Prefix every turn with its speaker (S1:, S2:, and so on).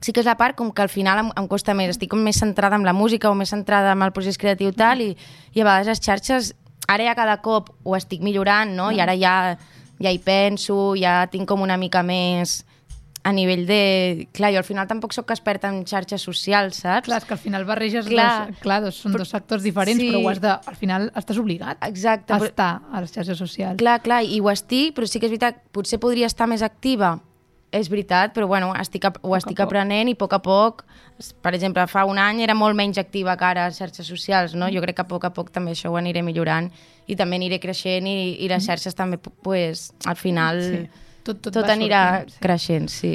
S1: sí que és la part com que al final em costa més, estic com més centrada en la música o més centrada en el procés creatiu tal, i a vegades les xarxes, ara ja cada cop ho estic millorant, no? I ara ja hi penso, ja tinc com una mica més a nivell de... Clar, jo al final tampoc sóc experta en xarxes socials, saps?
S2: Clar, és que al final barreges són dos sectors diferents, sí. Però al final estàs obligat a estar a les xarxes socials.
S1: Clar, i ho estic, però sí que és veritat, potser podria estar més activa, és veritat, però bueno, ho estic aprenent i a poc, per exemple, fa un any era molt menys activa que ara a les xarxes socials, no? Jo crec que a poc també això ho aniré millorant i també aniré creixent i les xarxes també, pues, al final... Sí. Tot anirà creixent, sí.